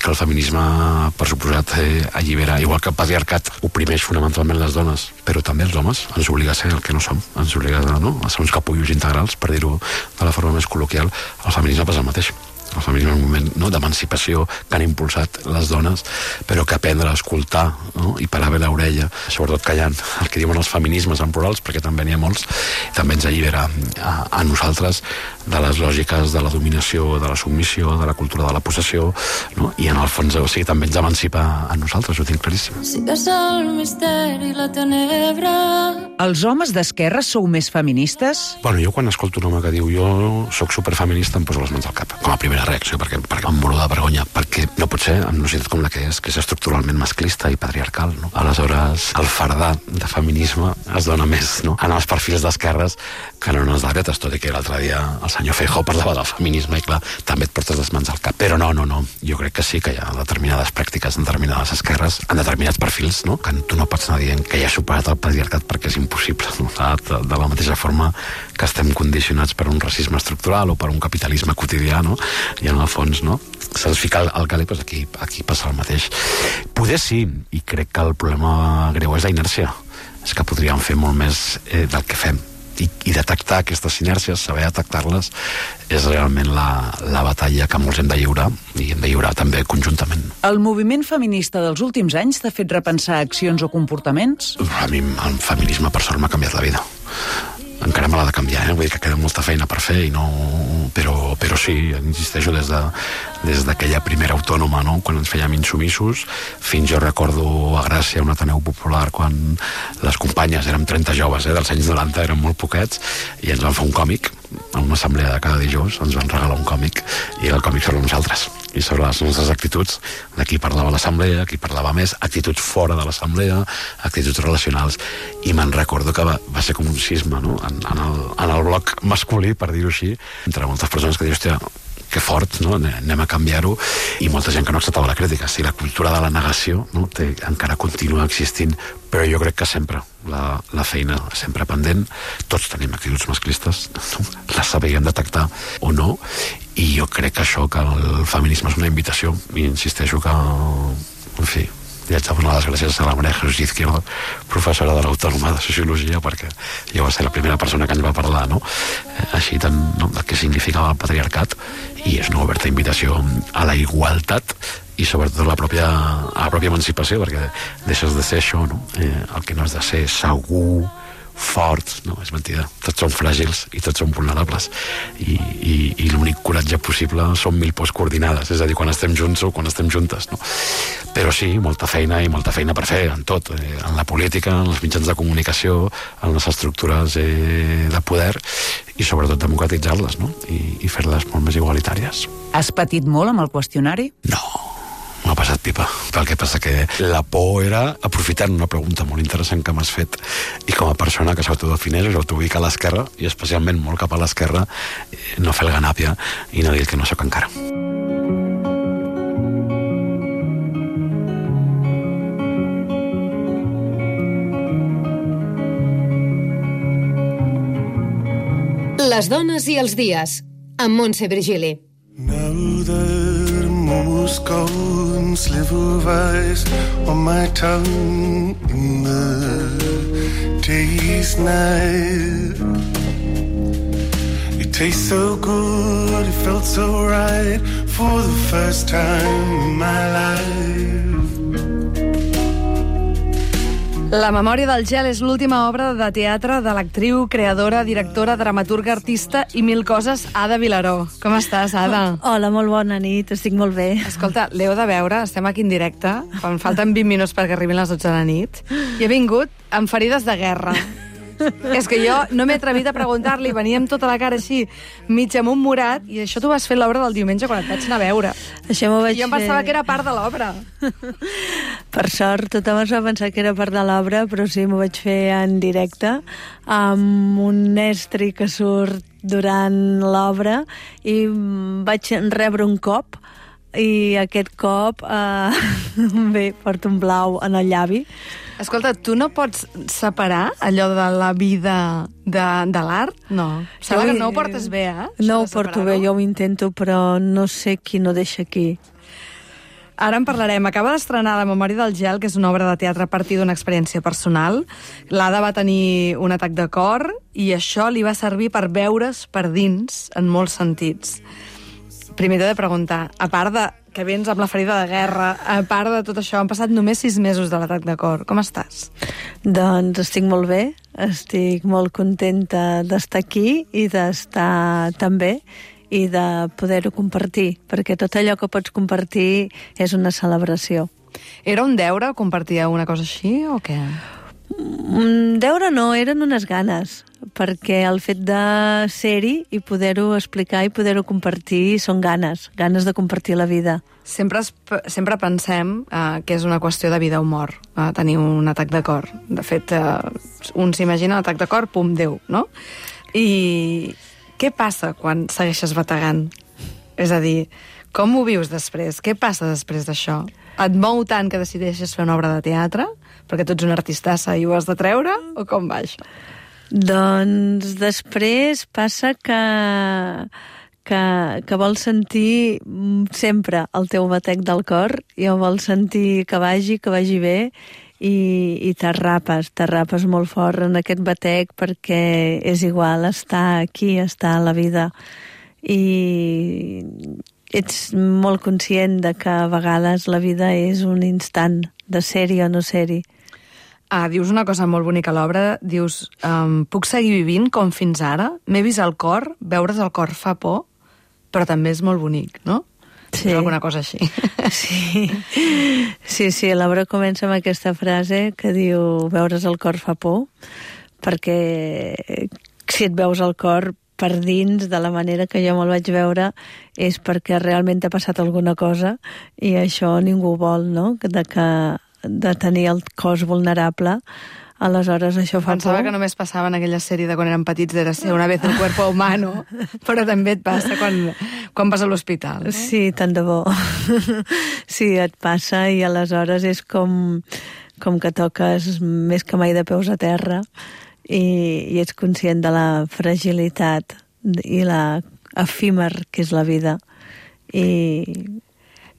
Speaker 3: que el feminisme, per suposat, allibera, igual que el patriarcat oprimeix fonamentalment les dones, però també els homes, ens obliga a ser el que no som, ens obliga a ser uns capullos integrals, per dir-ho de la forma més col·loquial. El feminisme passa el mateix. El feminisme és un moment d'emancipació que han impulsat les dones, però que aprendre a escoltar i parar bé l'orella, sobretot callant el que diuen els feminismes en plurals, perquè també n'hi ha molts, també ens allibera a nosaltres de les lògiques de la dominació, de la submissió, de la cultura de la possessió, i en el fons també ens emancipa a nosaltres, ho tinc claríssim.
Speaker 4: Si és el misteri, la tenebra...
Speaker 8: Els homes d'esquerra sou més feministes?
Speaker 3: Bueno, jo quan escolto un home que diu jo soc superfeminista em poso les mans al cap, com a primera reacció, perquè em moro de vergonya, perquè no pot ser en una societat com la que és estructuralment masclista i patriarcal, no? Aleshores, el fardar de feminisme es dona més en els perfils d'esquerres que no en els dretes, tot i que l'altre dia el senyor Feijóo parlava del feminisme i clar, també et portes les mans al cap. Però no, jo crec que sí que hi ha determinades pràctiques en determinades esquerres, en determinats perfils, que tu no pots anar dient que ja ha superat el patriarcat perquè és impossible, de la mateixa forma que estem condicionats per un racisme estructural o per un capitalisme quotidià, i en el fons se'ns fica el calé, doncs aquí passa el mateix. Poder sí, i crec que el problema greu és la inèrcia, és que podríem fer molt més del que fem, i detectar aquestes inèrcies, saber detectar-les, és realment la batalla que molts hem de lliurar, i hem de lliurar també conjuntament.
Speaker 8: El moviment feminista dels últims anys t'ha fet repensar accions o comportaments?
Speaker 3: A mi el feminisme, per sort, m'ha canviat la vida. Encara me l'ha de canviar, vull dir que queda molta feina per fer, però sí, insisteixo, des d'aquella primera autònoma, quan ens fèiem insumissos, fins jo recordo a Gràcia, un Ateneu Popular, quan les companyes, érem 30 joves, dels anys 90, érem molt poquets, i ens van fer un còmic, en una assemblea de cada dijous, ens van regalar un còmic, i el còmic sobre nosaltres, i sobre les nostres actituds, de qui parlava a l'assemblea, qui parlava més, actituds fora de l'assemblea, actituds relacionals, i me'n recordo que va ser com un sisme, en el bloc masculí, per dir-ho així, entre moltes persones que diuen, hòstia, que fort, anem a canviar-ho, i molta gent que no acceptava la crítica. Si la cultura de la negació encara continua existint, però jo crec que sempre la feina sempre pendent, tots tenim actituds masclistes, les sabíem detectar o no, i jo crec que això, que el feminisme és una invitació, i insisteixo que, en fi, li haig de donar les gràcies a la Maria Jesús Izquierdo, professora de l'Autònoma de Sociologia, perquè jo va ser la primera persona que ens va parlar, així tant, del que significava el patriarcat, i és una oberta invitació a la igualtat i sobretot a la pròpia emancipació, perquè deixes de ser això, el que no has de ser segur, forts, no, és mentida, tots són fràgils i tots són vulnerables, i l'únic coratge possible són 1000 pors coordinades, és a dir, quan estem junts o quan estem juntes, però sí, molta feina i molta feina per fer en tot, en la política, en els mitjans de comunicació, en les estructures de poder, i sobretot democratitzar-les, i fer-les molt més igualitàries.
Speaker 8: Has patit molt amb el qüestionari?
Speaker 3: No, M'ha passat pipa. El que passa que la por era, aprofitant una pregunta molt interessant que m'has fet, i com a persona que s'autodefineix, s'autoubica a l'esquerra, i especialment molt cap a l'esquerra, no fer el ganàpia i no dir el que no sóc encara.
Speaker 19: Les dones i els dies, amb Montse Virgili.
Speaker 20: Now that I'm almost gone, sliver of ice on my tongue in the day's night. It tastes so good, it felt so right for the first time in my life.
Speaker 2: La memòria del gel és l'última obra de teatre de l'actriu, creadora, directora, dramaturga, artista i mil coses, Ada Vilaró. Com estàs, Ada?
Speaker 21: Hola, molt bona nit, estic molt bé.
Speaker 2: Escolta, l'heu de veure, estem aquí en directe, quan falten 20 minuts perquè arribin les 12 de la nit, i he vingut amb ferides de guerra. És que jo no m'he atrevit a preguntar-li, venia amb tota la cara així, mig amb un morat, i això t'ho vas fer l'obra del diumenge quan et vaig anar a veure.
Speaker 21: Això m'ho vaig
Speaker 2: jo em pensava que era part de l'obra.
Speaker 21: Per sort, tothom es va pensar que era part de l'obra, però sí, m'ho vaig fer en directe, amb un estri que surt durant l'obra, i vaig rebre un cop, i aquest cop bé, porto un blau en el llavi.
Speaker 2: Escolta, tu no pots separar allò de la vida de l'art? No. Sembla que no ho portes bé, eh?
Speaker 21: No ho porto bé, jo ho intento, però no sé qui no deixa aquí.
Speaker 2: Ara en parlarem. Acaba d'estrenar La memòria del gel, que és una obra de teatre a partir d'una experiència personal. L'Ada va tenir un atac de cor i això li va servir per veure's per dins en molts sentits. Primer t'he de preguntar, a part de que vens amb la ferida de guerra, a part de tot això, han passat només 6 mesos de l'atac de cor. Com estàs?
Speaker 21: Doncs estic molt bé, estic molt contenta d'estar aquí i d'estar tan bé i de poder-ho compartir, perquè tot allò que pots compartir és una celebració.
Speaker 2: Era un deure compartir una cosa així o què?
Speaker 21: Deure no, eren unes ganes, perquè el fet de ser-hi i poder-ho explicar i poder-ho compartir són ganes de compartir la vida.
Speaker 2: Sempre pensem que és una qüestió de vida o mort, tenir un atac de cor. De fet, un s'imagina un atac de cor, pum, Déu, no? I què passa quan segueixes bategant? És a dir, com ho vius després? Què passa després d'això? Et mou tant que decideixes fer una obra de teatre? Perquè tu ets una artistassa i ho has de treure? O com va això?
Speaker 21: Doncs després passa que vols sentir sempre el teu batec del cor i vols sentir que vagi bé i t'arrapes molt fort en aquest batec perquè és igual estar aquí, estar a la vida. I ets molt conscient de que a vegades la vida és un instant de ser-hi o no ser-hi.
Speaker 2: Dius una cosa molt bonica a l'obra, dius, puc seguir vivint com fins ara? M'he vist el cor, veure's el cor fa por, però també és molt bonic, no?
Speaker 21: Sí.
Speaker 2: Alguna cosa així.
Speaker 21: Sí, l'obra comença amb aquesta frase que diu veure's el cor fa por, perquè si et veus el cor per dins, de la manera que jo me'l vaig veure, és perquè realment t'ha passat alguna cosa i això ningú vol, no? De tenir el cos vulnerable, aleshores això fa
Speaker 2: Pensava
Speaker 21: por.
Speaker 2: que només passava en aquella sèrie de quan érem petits de ser una vez el cuerpo humano, però també et passa quan vas a l'hospital. No?
Speaker 21: Sí, tant de bo. Sí, et passa i aleshores és com que toques més que mai de peus a terra i ets conscient de la fragilitat i la efímer que és la vida.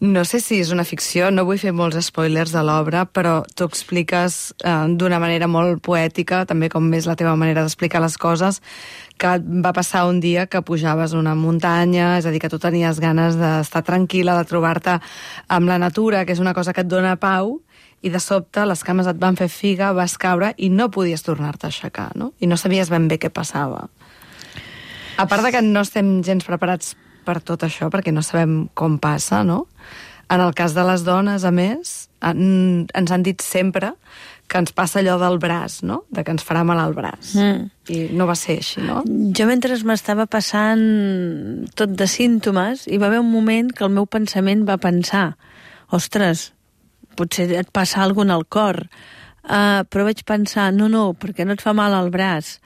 Speaker 2: No sé si és una ficció, no vull fer molts spoilers de l'obra, però tu expliques d'una manera molt poètica, també com és la teva manera d'explicar les coses, que va passar un dia que pujaves una muntanya, és a dir, que tu tenies ganes d'estar tranquil·la, de trobar-te amb la natura, que és una cosa que et dona pau, i de sobte les cames et van fer figa, vas caure i no podies tornar-te a aixecar, no? I no sabies ben bé què passava. A part de que no estem gens preparats per tot això, perquè no sabem com passa, no? En el cas de les dones, a més, ens han dit sempre que ens passa allò del braç, no? De que ens farà mal al braç. I no va ser així, no?
Speaker 21: Jo mentre m'estava passant tot de símptomes, hi va haver un moment que el meu pensament va pensar ostres, potser et passa alguna cosa al cor. Però vaig pensar, no, perquè no et fa mal al braç.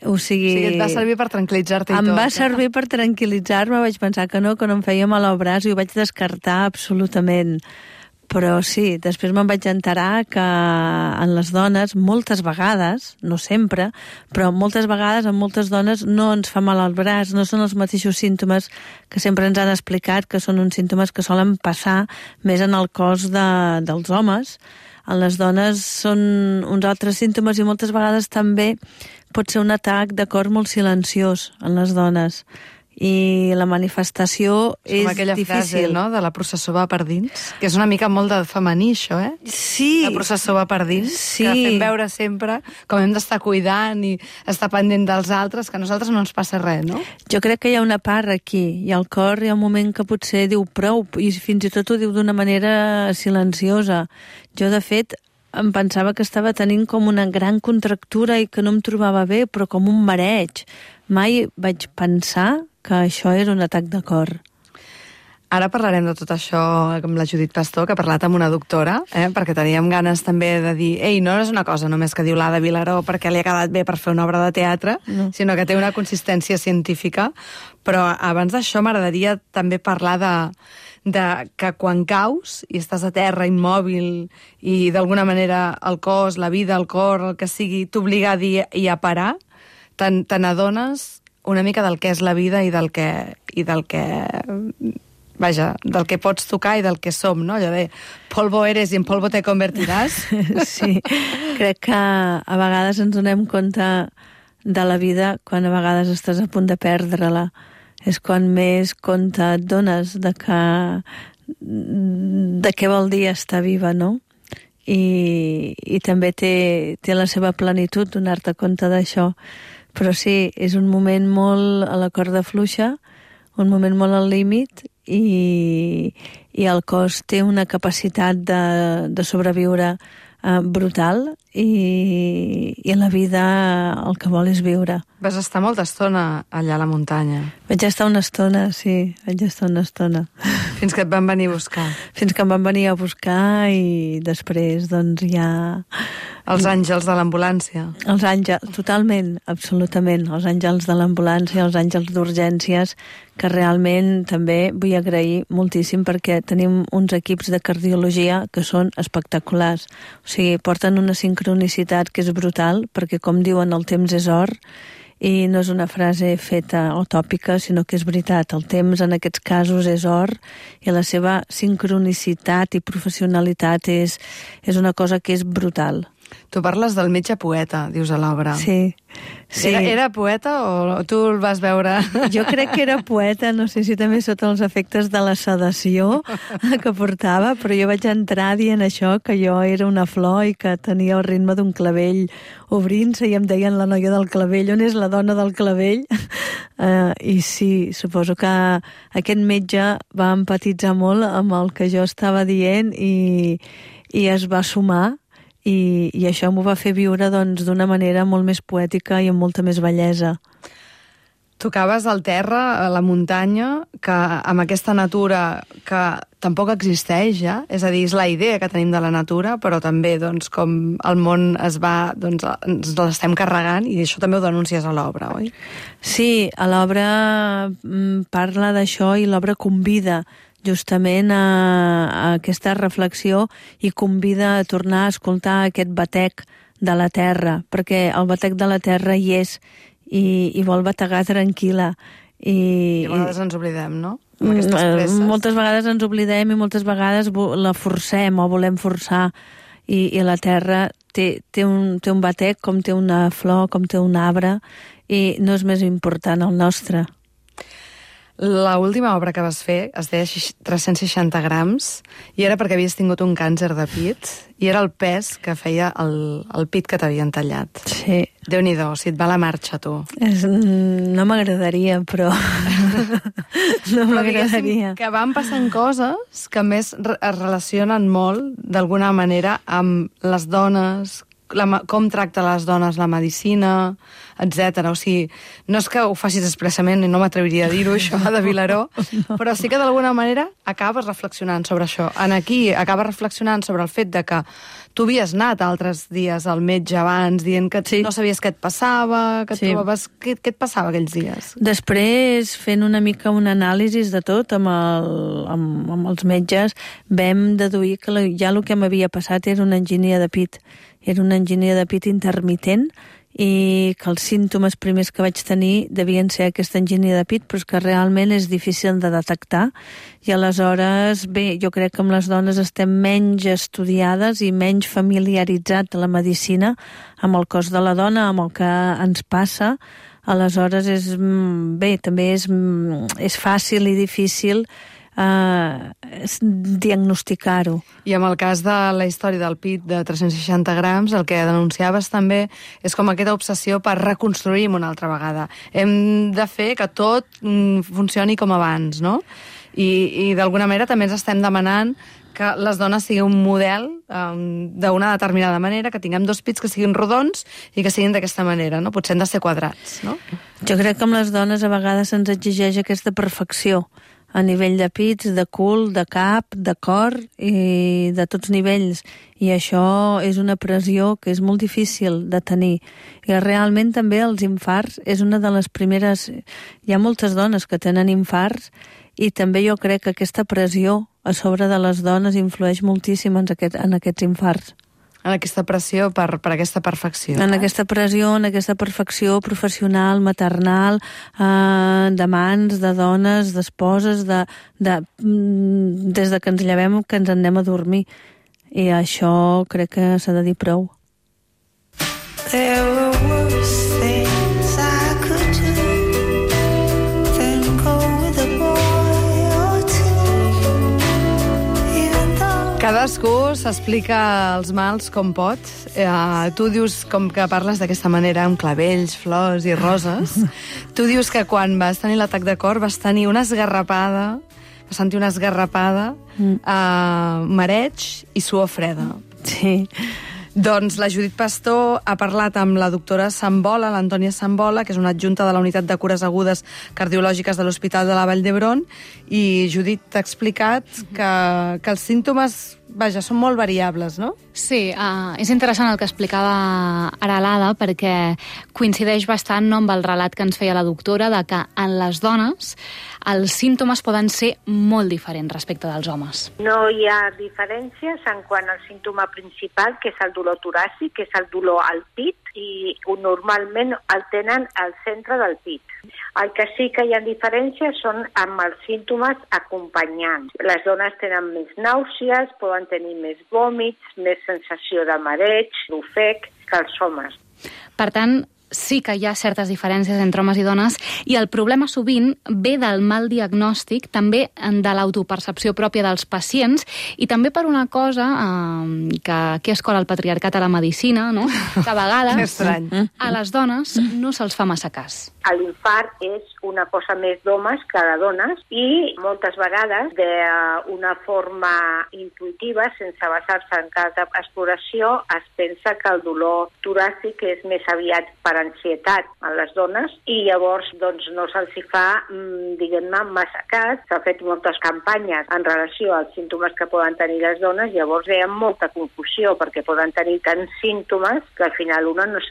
Speaker 21: O sigui,
Speaker 2: et va servir per tranquil·litzar-te i tot.
Speaker 21: Em va servir per tranquil·litzar-me, vaig pensar que no em feia mal al braç i ho vaig descartar absolutament. Però sí, després me'n vaig enterar que en les dones, moltes vegades, no sempre, però moltes vegades en moltes dones no ens fa mal al braç, no són els mateixos símptomes que sempre ens han explicat, que són uns símptomes que solen passar més en el cos dels homes. En les dones són uns altres símptomes i moltes vegades també pot ser un atac de cor molt silenciós en les dones. I la manifestació és difícil.
Speaker 2: Aquella frase, no?, de la processó va per dins, que és una mica molt de femení, això, eh?
Speaker 21: Sí.
Speaker 2: La processó va per dins,
Speaker 21: sí.
Speaker 2: Que fem veure sempre com hem d'estar cuidant i estar pendent dels altres, que a nosaltres no ens passa res, no?
Speaker 21: Jo crec que hi ha una part aquí, i el cor hi ha un moment que potser diu prou, i fins i tot ho diu d'una manera silenciosa. Jo, de fet, em pensava que estava tenint com una gran contractura i que no em trobava bé, però com un mareig. Mai vaig pensar que això era un atac de cor.
Speaker 2: Ara parlarem de tot això amb la Judit Pastor, que ha parlat amb una doctora, perquè teníem ganes també de dir no és una cosa només que diu l'Ada Vilaró perquè li ha quedat bé per fer una obra de teatre, sinó que té una consistència científica. Però abans d'això m'agradaria també parlar de que quan caus i estàs a terra immòbil i d'alguna manera el cos, la vida, el cor, el que sigui, t'obliga a dir i a parar, te n'adones una mica del que és la vida i del que pots tocar i del que som, no? Allò de polvo eres i en polvo te convertiràs.
Speaker 21: Sí, crec que a vegades ens donem compte de la vida quan a vegades estàs a punt de perdre-la. És quan més compte et dones de què vol dir estar viva, no? I també té la seva plenitud donar-te compte d'això. Però sí, és un moment molt a la corda fluixa, un moment molt al límit i el cos té una capacitat de sobreviure brutal i la vida el que vol és viure.
Speaker 2: Vas estar molta estona allà a la muntanya.
Speaker 21: Vaig estar una estona, sí,
Speaker 2: Fins que et van venir a buscar.
Speaker 21: Fins que em van venir a buscar i després doncs ja...
Speaker 2: Els àngels de l'ambulància.
Speaker 21: Els àngels, totalment, absolutament. Els àngels de l'ambulància, els àngels d'urgències, que realment també vull agrair moltíssim perquè tenim uns equips de cardiologia que són espectaculars. O sigui, porten una sincronicitat que és brutal, perquè com diuen, el temps és or, i no és una frase feta o tòpica, sinó que és veritat. El temps en aquests casos és or i la seva sincronicitat i professionalitat és una cosa que és brutal.
Speaker 2: Tu parles del metge poeta, dius a l'obra.
Speaker 21: Sí.
Speaker 2: Era poeta o tu el vas veure?
Speaker 21: Jo crec que era poeta, no sé si també sota els efectes de la sedació que portava, però jo vaig entrar dient això, que jo era una flor i que tenia el ritme d'un clavell obrint-se i em deien la noia del clavell, on és la dona del clavell? I sí, suposo que aquest metge va empatitzar molt amb el que jo estava dient i es va sumar. I això m'ho va fer viure d'una manera molt més poètica i amb molta més bellesa.
Speaker 2: Tocaves al terra, a la muntanya, que amb aquesta natura que tampoc existeix ja, és a dir, és la idea que tenim de la natura, però també com el món ens l'estem carregant, i això també ho denuncies a l'obra, oi?
Speaker 21: Sí, a l'obra parla d'això i l'obra convida justament a aquesta reflexió i convida a tornar a escoltar aquest batec de la terra, perquè el batec de la terra hi és i vol bategar tranquil·la.
Speaker 2: I a vegades ens oblidem, no? Amb aquestes presses.
Speaker 21: Moltes vegades ens oblidem i moltes vegades la forcem o volem forçar i la terra té un batec com té una flor, com té un arbre i no és més important el nostre.
Speaker 2: L'última obra que vas fer es deia 360 grams i era perquè havies tingut un càncer de pit i era el pes que feia el pit que t'havien tallat.
Speaker 21: Sí.
Speaker 2: Déu-n'hi-do, si et va la marxa, tu.
Speaker 21: No m'agradaria, però... no m'agradaria.
Speaker 2: Que van passant coses que més es relacionen molt, d'alguna manera, amb les dones com tracta les dones la medicina, etc. O sigui, no és que ho facis expressament, i no m'atreviria a dir-ho, això, de Vilaró, però sí que d'alguna manera acabes reflexionant sobre això. Aquí acabes reflexionant sobre el fet de que tu havies anat altres dies al metge abans dient que no sabies què et passava, que et trobaves... Què et passava aquells dies?
Speaker 21: Després, fent una mica un anàlisi de tot amb els metges, vam deduir que ja el que m'havia passat era una angínia de pit. Era una angínia de pit intermitent i que els símptomes primers que vaig tenir devien ser aquesta angínia de pit, però és que realment és difícil de detectar. I aleshores, bé, jo crec que amb les dones estem menys estudiades i menys familiaritzat a la medicina amb el cos de la dona, amb el que ens passa. Aleshores, també és fàcil i difícil diagnosticar-ho.
Speaker 2: I amb el cas de la història del pit de 360 grams, el que denunciaves també és com aquesta obsessió per reconstruir una altra vegada. Hem de fer que tot funcioni com abans, no? I d'alguna manera també ens estem demanant que les dones siguin un model d'una determinada manera, que tinguem 2 pits que siguin rodons i que siguin d'aquesta manera, no? Potser han de ser quadrats, no?
Speaker 21: Jo crec que amb les dones a vegades se'ns exigeix aquesta perfecció a nivell de pits, de cul, de cap, de cor i de tots nivells. I això és una pressió que és molt difícil de tenir. I realment també els infarts és una de les primeres... Hi ha moltes dones que tenen infarts i també jo crec que aquesta pressió a sobre de les dones influeix moltíssim en aquests infarts.
Speaker 2: En aquesta pressió per aquesta perfecció.
Speaker 21: En aquesta pressió, en aquesta perfecció professional, maternal, de mans, de dones, d'esposes, des de que ens llevem que ens anem a dormir. I això crec que s'ha de dir prou.
Speaker 9: There were worse things I could do than go with a boy or two.
Speaker 2: Cadascú s'explica els mals com pot. Tu dius, com que parles d'aquesta manera, amb clavells, flors i roses, tu dius que quan vas tenir l'atac de cor vas tenir una esgarrapada, vas sentir una esgarrapada, mareig i suor freda.
Speaker 21: Sí.
Speaker 2: Doncs la Judit Pastor ha parlat amb la doctora Sambola, l'Antònia Sambola, que és una adjunta de la Unitat de Cures Agudes Cardiològiques de l'Hospital de la Vall d'Hebron, i Judit t'ha explicat que els símptomes, vaja, són molt variables, no?
Speaker 14: Sí, és interessant el que explicava ara l'Ada, perquè coincideix bastant amb el relat que ens feia la doctora de que en les dones els símptomes poden ser molt diferents respecte dels homes.
Speaker 1: No hi ha diferències en quant al símptoma principal, que és el dolor toràcic, que és el dolor al pit, i normalment el tenen al centre del pit. El que sí que hi ha diferències són amb els símptomes acompanyants. Les dones tenen més nàusees, poden tenir més vòmits, més sensació de mareig, d'ofec, que els homes.
Speaker 14: Per tant, sí que hi ha certes diferències entre homes i dones, i el problema sovint ve del mal diagnòstic, també de l'autopercepció pròpia dels pacients, i també per una cosa que aquí es cola el patriarcat a la medicina, no? Que a vegades a les dones no se'ls fa massa cas.
Speaker 1: L'infart és una cosa més d'homes que de dones, i moltes vegades d'una forma intuïtiva, sense basar-se en cas d'exploració, es pensa que el dolor toràcic és més aviat per ansietat a les dones, i llavors doncs, no se'ls fa, diguem-ne, massa cas. S'ha fet moltes campanyes en relació als símptomes que poden tenir les dones, llavors hi ha molta confusió, perquè poden tenir tants símptomes que al final una no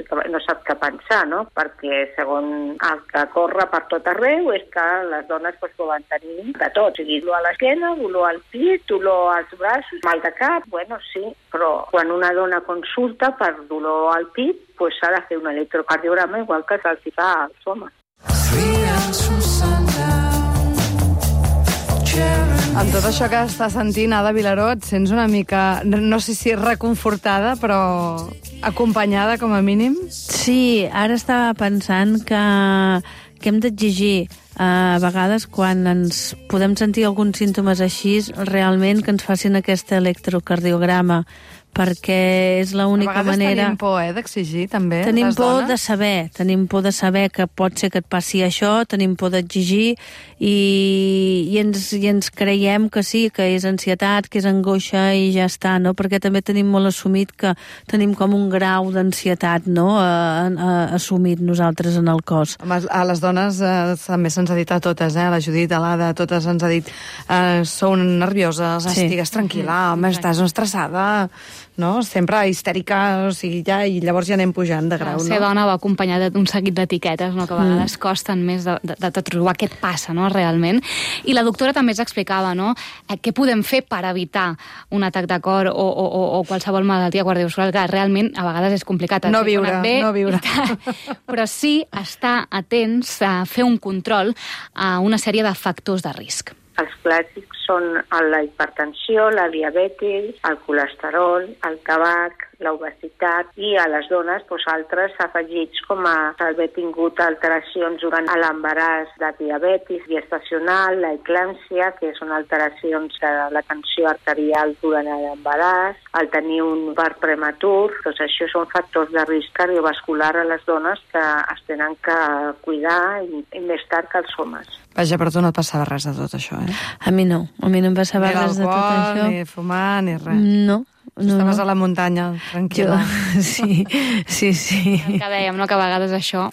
Speaker 1: sap què pensar, no? Perquè segons el que corre per tot arreu és que les dones poden tenir de tot, o sigui, dolor a l'esquena, dolor al pit, dolor als braços, mal de cap, bueno, sí, però quan una dona consulta per dolor al pit, s'ha de fer un electrocardiograma igual que se'ls fa als homes.
Speaker 2: Amb tot això que està sentint, Ada Vilaró, et sents una mica, no sé si reconfortada, però acompanyada com a mínim?
Speaker 21: Sí, ara estava pensant que hem d'exigir a vegades quan ens podem sentir alguns símptomes així, realment que ens facin aquest electrocardiograma, perquè és l'única manera...
Speaker 2: A vegades tenim por, d'exigir, també,
Speaker 21: tenim
Speaker 2: les dones.
Speaker 21: Tenim por de saber que pot ser que et passi això, tenim por d'exigir i ens creiem que sí, que és ansietat, que és angoixa i ja està, no? Perquè també tenim molt assumit que tenim com un grau d'ansietat, no?, assumit nosaltres en el cos.
Speaker 2: A les dones també se'ns ha dit a totes, a la Judit, a l'Ada, a totes ens ha dit sou nervioses, estigues tranquil·la, home, estàs estressada, no? Sempre histèrica, o sigui, i llavors ja anem pujant de grau, no?
Speaker 14: Ser dona va acompanyada d'un seguit d'etiquetes, no?, que a vegades costen més de trobar què et passa, no?, realment. I la doctora també ens explicava, no?, què podem fer per evitar un atac de cor o qualsevol malaltia cardiovascular, que realment a vegades és complicat.
Speaker 2: No viure.
Speaker 14: Però sí estar atents a fer un control a una sèrie de factors de risc.
Speaker 1: Els clàssics són la hipertensió, la diabetis, el colesterol, el tabac, l'obesitat i a les dones altres afegits com haver tingut alteracions durant l'embaràs de diabetis gestacional, la eclàmpsia, que són alteracions de la tensió arterial durant l'embaràs, el tenir un part prematur. Doncs això són factors de risc cardiovascular a les dones que es tenen que cuidar i més tard que els homes.
Speaker 2: Vaja, però tu no et passava res de tot això,
Speaker 21: A mi no em passava res de tot això.
Speaker 2: Ni fumar, ni res.
Speaker 21: No.
Speaker 2: Estaves a la muntanya, tranquil·la.
Speaker 21: Sí.
Speaker 14: El que dèiem, no?, que a vegades això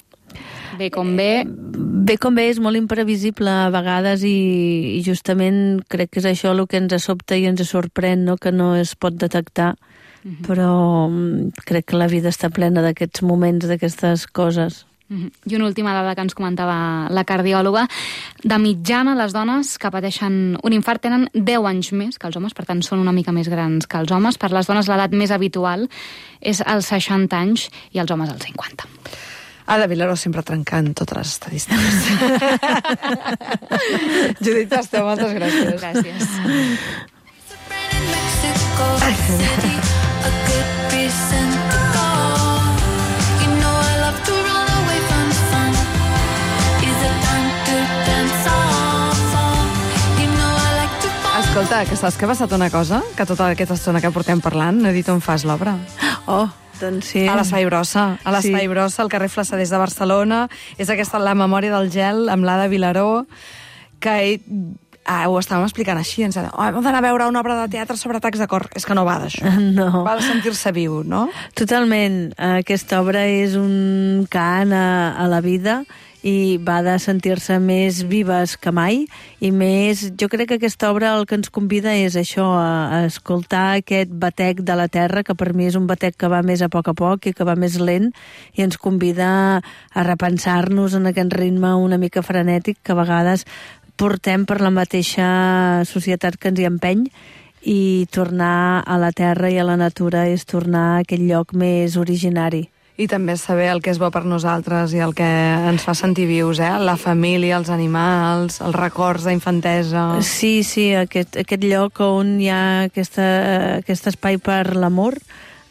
Speaker 14: ve com ve.
Speaker 21: Ve com ve, és molt imprevisible a vegades i justament crec que és això el que ens sobta i ens sorprèn, no?, que no es pot detectar. Però crec que la vida està plena d'aquests moments, d'aquestes coses.
Speaker 14: I una última dada que ens comentava la cardiòloga. De mitjana, les dones que pateixen un infart tenen 10 anys més que els homes, per tant són una mica més grans que els homes. Per les dones l'edat més habitual és als 60 anys i els homes als 50.
Speaker 2: Ada Vilaró sempre trencant totes les estadístiques. Judit Pastor, moltes gràcies.
Speaker 14: Gràcies.
Speaker 2: Escolta, que saps que ha passat una cosa? Que tota aquesta estona que portem parlant no he dit on fas l'obra.
Speaker 21: Doncs sí.
Speaker 2: A l'Espai Brossa. A l'Espai Brossa, al carrer Flassaders de Barcelona. És aquesta la memòria del gel amb l'Ada Vilaró, que ho estàvem explicant així. Ens deia, hem d'anar a veure una obra de teatre sobre atacs de cor. És que no va d'això.
Speaker 21: No.
Speaker 2: Va de sentir-se viu, no?
Speaker 21: Totalment. Aquesta obra és un cant a la vida i va de sentir-se més vives que mai i més, jo crec que aquesta obra el que ens convida és això, a escoltar aquest batec de la terra, que per mi és un batec que va més a poc i que va més lent, i ens convida a repensar-nos en aquest ritme una mica frenètic que a vegades portem per la mateixa societat que ens hi empeny, i tornar a la terra i a la natura és tornar a aquell lloc més originari.
Speaker 2: I també saber el que és bo per nosaltres i el que ens fa sentir vius, la família, els animals, els records d'infantesa.
Speaker 21: Sí, aquest lloc on hi ha aquest espai per l'amor,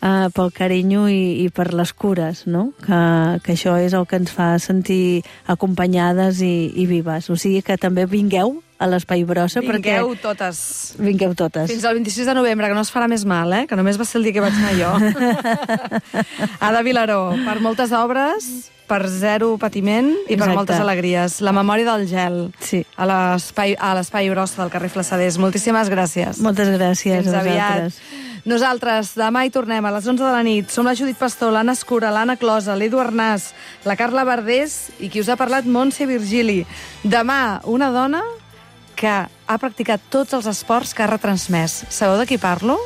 Speaker 21: pel carinyo i per les cures, no? Que això és el que ens fa sentir acompanyades i vives. O sigui que també vingueu a l'Espai Brossa.
Speaker 2: Vingueu totes.
Speaker 21: Vingueu totes.
Speaker 2: Fins al 26 de novembre, que no es farà més mal, que només va ser el dia que vaig anar jo. Ada Vilaró, per moltes obres, per zero patiment i per moltes alegries. La memòria del gel.
Speaker 21: Sí.
Speaker 2: A l'Espai Brossa del carrer Flassaders. Moltíssimes gràcies.
Speaker 21: Moltes gràcies a vosaltres.
Speaker 2: Nosaltres demà hi tornem a les 11 de la nit. Som la Judit Pastor, l'Anna Escura, l'Anna Closa, l'Edu Arnàs, la Carla Verdés i qui us ha parlat, Montse Virgili. Demà, una dona que ha practicat tots els esports que ha retransmès. Sabeu de qui parlo?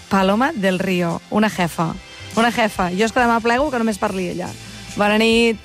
Speaker 2: Paloma del Río, una jefa. Una jefa. Jo és que demà plego que només parli ella. Bona nit.